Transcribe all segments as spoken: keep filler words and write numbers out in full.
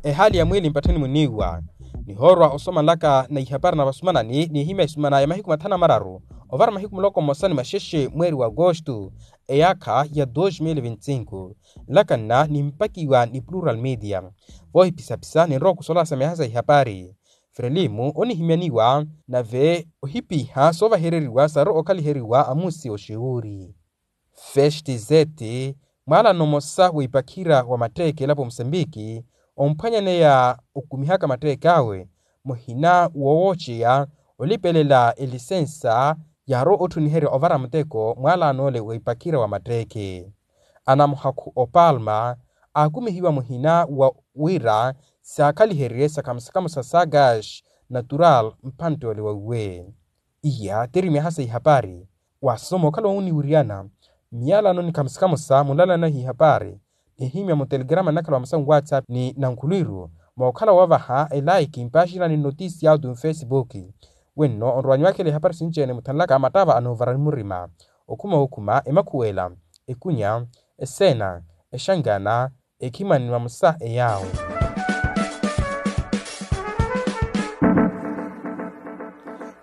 Ehaali ya mwiili mpattheni muniiwa. Nihoorwa osoma nlaka na ihapari na vasumanani n'ihimya isumana ya mahiku mathanu na mararu ovara mahiku muloko mmosa ni maxexe mweeri wa agosto, eyaakha ya dos mil vinti cinco. Nlaka nna nimpakiwa ni plural media. Voohiphisa-phisa ninrowa okusola sa miyaha sa ihapari. Frelimu onihimyaniwa nave ohipiha soovahereriwa saru okhaliheriwa amusi oxiwuuri. Festi zeti, mwaalano mmosa wa ipakhira wa matteeke elapo musempiki, omphwanyaneya okumihaka matteeke awe muhina woowoceya olipelela elisensa yaarowa otthuniherya ovara muteko mwaalano ole wa ipakhira wa matteeke. Anamuhakhu opalma aakumihiwa muhina wa wira saakhaliherye sakhamusa-khamusa sa gas natural mphantte ole wa uwe. Iya tiri miyaha sa ihapari. Wasoma okhala woniwiriyana miyalano ni khamusa-khamusa munlalana hihapari nihimya mutelegrama nnakhala wa musamu whatsapp ni nankhulwiru mookhala woovaha elaiki mpaxina ni notisi ya autu mfesibuki. Wenno onrowanyiwakhela ihapari sinci-ene muthanlaka mattava anoovara ni murima okhuma okhuma emakhuwela ekunya eseena exangana ekhimani ni mamusa eyaawo.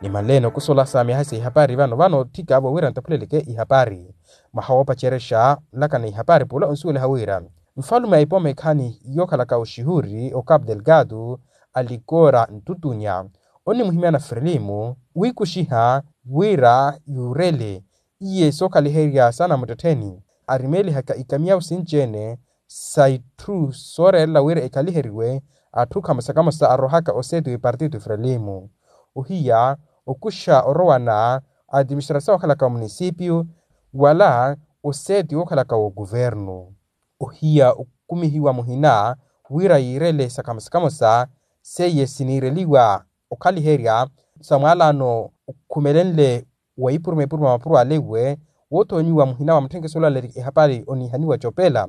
Nimanleene okusola sa miyaha sa ihapari vano vano otthika vo wira ntaphuleleke ihapari. Mwaha woopacerexa nlaka na ihapari pula onsuweliha wira nfalume a ipooma ekhaani yookhalaka oxihuri ocapu delgado alikora ntutunya onimuhimyana frelimu wiikuxiha wira yuurele iye sookhaliherya saana muttettheni arimeelihaka ikamiyawu sinci-ene sa itthu sooreerela wira ekhaliheriwe atthu khamosa-khamosa arowahaka oseeti w'ipartito frelimu ohiya okuxa orowana a atiministrasawu okhalaka wa munisipiyu wala oseeti wookhalaka wa okuvernu. Ohiya okumihiwa muhina wira yiirele sa khamosa-khamosa seiye siniireliwa okhaliherya sa mwaalano okhumelenle wa ipuruma-ipuruma mapuro ale iwe woothoonyiwa muhina wa mutthenkeso olaleerya ehapari oniihaniwa copela.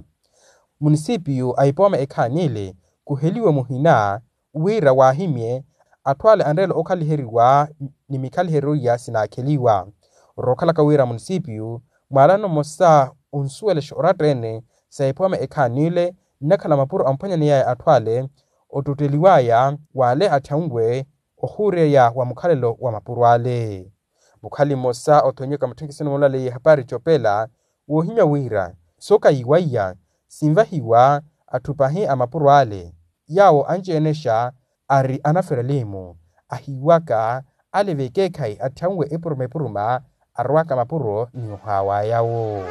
Munisipiyu a ipooma ekhaani ile khuheliwe muhina wira waahimye atthu ale anreela okhaliheriwa ni mikhaliheryo iya sinaakheliwa. Orookhalaka wira munisipiyu mwaalano mmosa onsuwelexa oratta-ene sa ipooma ekhaani ile nnakhala mapuro amphwanyaneyaya atthu ale ottotteliwaya w'ale atthyanwe ohuureya wa mukhalelo wa mapuro ale. Mukhali mmosa othonyeka mutthenkeseni moolaleya ehapari copela woohimya wira sookayiwaiya sinvahiwa atthu pahi a mapuro ale yaawo anci-enexa ari anafrelimu ahiiwaka ale vekeekhayi atthyanwe epuruma-epuruma arowaka mapuro ni ohaawayawo.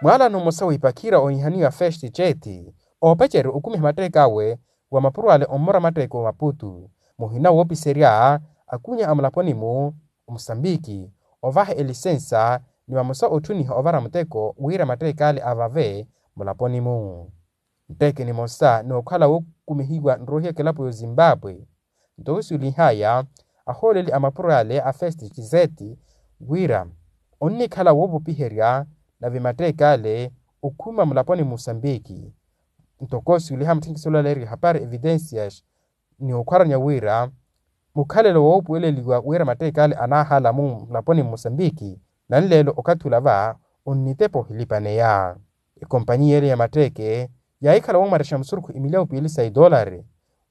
Mwaalano mmosa wa ipakhira oonihaniwa festi ceeti oopacerya okumiha matteeke awe wa mapuro ale ommora matteeke wa maputu muhina woopiserya akunya a mulaponi-mu omusambiki ovaha elisensa ni vamosa otthuniha ovara muteko wira matteeke ale avave mulaponi-mu. Mutteeke nimosa nookhala wookumihiwa nroohiya kelapo y'ozimbabwe. Ntoko siulihaya ahooleli a mapuro ale a festi chiseti wira onnikhala woovopiherya nave matteeke ale okhuma mulaponi musambiki. Ntoko siuliha mutthenkesolo aleeriwa ehapari evidencias ni okhwaranya wira mukhalelo woopuweleliwa wira matteeke ale anaahala mulaponi musambiki nanleelo okathi ula va onnitepa ohilipaneya. Ekompanyiya ele ya matteeke yaahikhala woomwarexa musurukhu emilyawu piili sa idoolari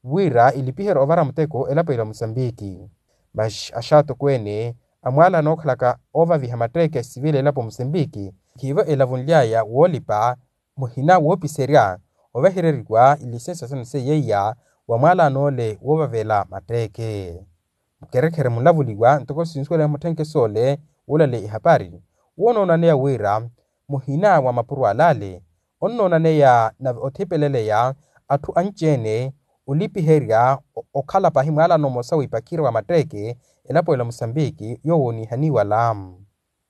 wira ilipiherye ovara muteko elapo ila musambiki. Masi axaatokweene amwaala anookhalaka oovaviha matteeke sivila elapo musambiki khiivo elavunly'aya woolipa muhina woopiserya ovahereriwa ilisensa sene seiya iya wa mwaala anoole woovavela matteeke. Mukherekhere munlavuliwa ntoko sinsuwela mutthenkesole woolaleya ihapari woonoonaneya wira muhina wa mapuro alale onnoonaneya nave othipeleleya atthu anci-ene olipiherya okhala pahi mwaalano mmosa w'ipakhira wa matteeke elapo ela musambiki yoowo onihaniwa lamu.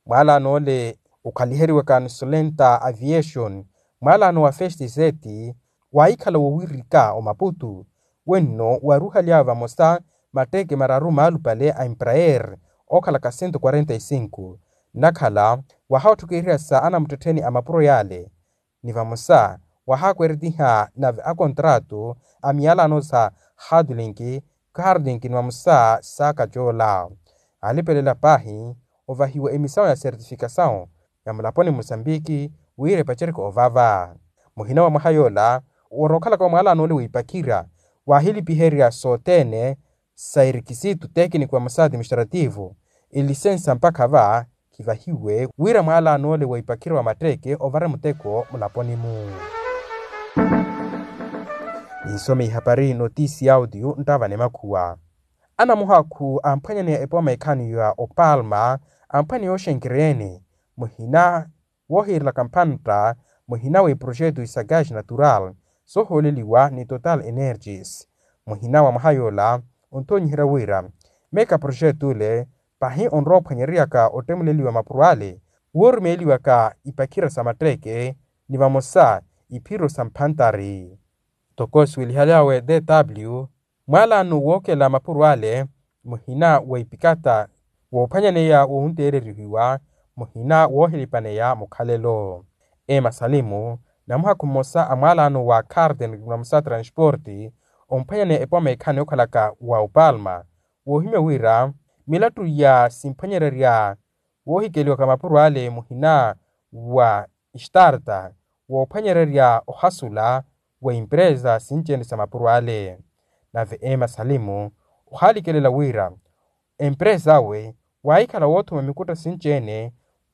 Mwaalano ole okhaliheriwaka nisulenta aviation mwaalano wa festi zeti waahikhala wowirika omaputu wenno waruhaly'awe vamosa matteeke mararu maalupale a emprayer ookhalaka sento quarenta e cinco nnakhala wahaatthukeriha sa anamuttettheni a mapuro yaale ni vamosa wahaakweretiha nave akontrato a miyalano sa hadlink cardink ni vamosa sa kacoola. Aalipelela paahi ovahiwa emisawu ya sertifikasawu ya mulaponi musambiki wira epacereke ovava. Muhina wa mwaha yoola, worookhalaka wa mwaalano ole wiipakhira waahilipiherya sothene sa erikisitu tekiniko wa musaati mistrativu, elisensa mpakha va khivahiwe wira mwaalano ole wiipakhira wa matteeke ovare muteko mulaponi-mu. Ninsome ihapari notisi ya audio nttavane makhuwa. Anamuhakhu amphwanyaneya epooma ekhani ya opalma amphwaneya oxenkereene muhina woohiirelaka mphantta muhina w'eprojetu isa gaz natural soohooleliwa ni total energies. Muhina wa mwaha yoola onthoonyiherya wira meka projetu ole pahi onrowa ophwanyereryaka ottemuleliwa mapuro ale woorumeeliwaka ipakhira sa matteeke ni vamosa iphiro sa mphantari. Toko siwelihaly'awe dw mwaalano wookela mapuro ale muhina wa ipikata woophwanyaneya woonteererihiwa muhina woohilipaneya mukhalelo. Ema salimu namuhakhu mmosa a mwaalano wa carden na musa transporti omphwanyaneya epooma ekhani okhalaka wa opalma woohimya wira milattu ya simphwanyererya woohikeliwaka mapuro ale muhina wa istarta woophwanyererya ohasula wa empresa sinci-ene sa mapuro ale. Nave ema salimu ohaalikelela wira empresa awe waahikhala woothuma mikutta sinci-ene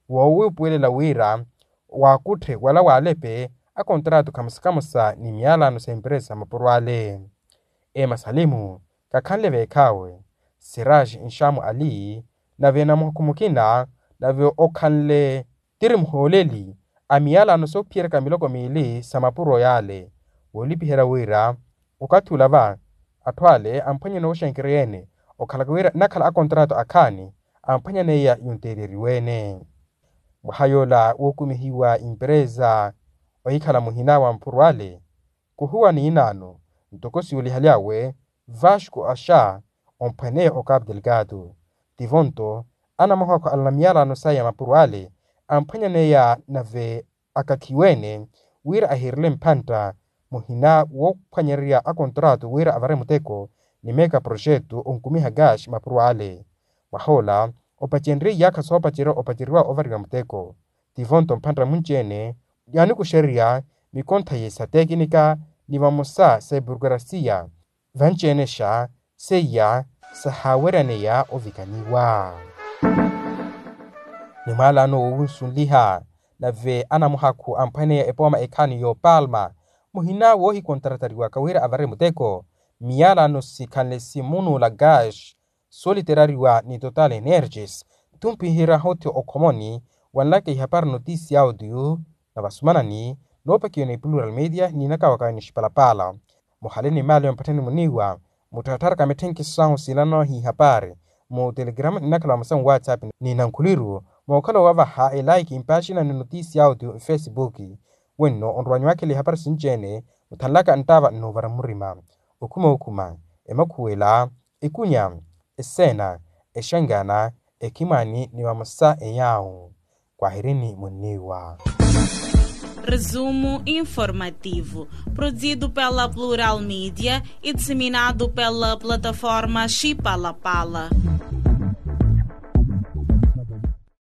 woowuupuwelela wira waakutthe wala waalepe akontratu khamosa khamosa ni miyalano sa empresa sa mapuro ale. Ema salimu kakhanle veekhaawe siraj nxamu ali nave namuhakhu mukina nave okhanle tiri muhooleli a miyalano soophiyeryaka miloko miili sa mapuro yaale woolipiherya wira okathi ola va atthu ale amphwanyene oxenkereya-ene okhalaka wira nnakhala akontratu akhaani amphwanyaneya yonteereriwe-ene. Mwaha yoola wookumihiwa empresa ohikhala muhina wa mapuro ale khuhuwa ni inaano ntoko siwelihaly'awe vasco axa omphwaneya okapu delgado tivonto anamuhakhu alana miyalano saya mapuro ale amphwanyaneya nave akakhiwe-ene wira ahiirele mphantta muhina woophwanyererya akontratu wira avare muteko ni meka projetu onkumiha gaz mapuro ale. Mwahoola opacenrye iyaakha soopacerya opaceriwa ovariwa muteko tivonto mphantta munci-ene yaanikuxererya mikonthaye sa tekinika ni vamosa sa eburokrasiya vanci-enexa seiya sahaaweryaneya ovikaniwa. Ni mwaalano woowunsunliha nave anamuhakhu amphwaneya epooma ekhani y'opalma muhina woohikontratariwaka wira avare muteko miyalano sikhanle simunuula gaz sooliterariwa ni total energies. Nthumpihira hothi okhomoni wanlaka ihapari notisi ya audio na vasumanani noopakiwa ni plural media niinaka waka ni xipalapala muhale ni maali ya mpatthani muniiwa muttharattharaka mitthenkhiso sahu siilano hihapari mu telegrama nnakhala wa masamu whatsapp ni nankhuliru mookhala owavaha elaiki mpaxina ni notisi ya audio mfesibuki. Wenno onrowanyu waakhela ihapari sinci-ene muthanlaka nttaava nnoovara murima okhuma okhuma emakhuwela ekunya eseena exangana ekhimwani ni vamosa enyaawu. Kwahirini munniiwa. Resumo informativo, produzido pela Plural Media e disseminado pela plataforma Chipalapala.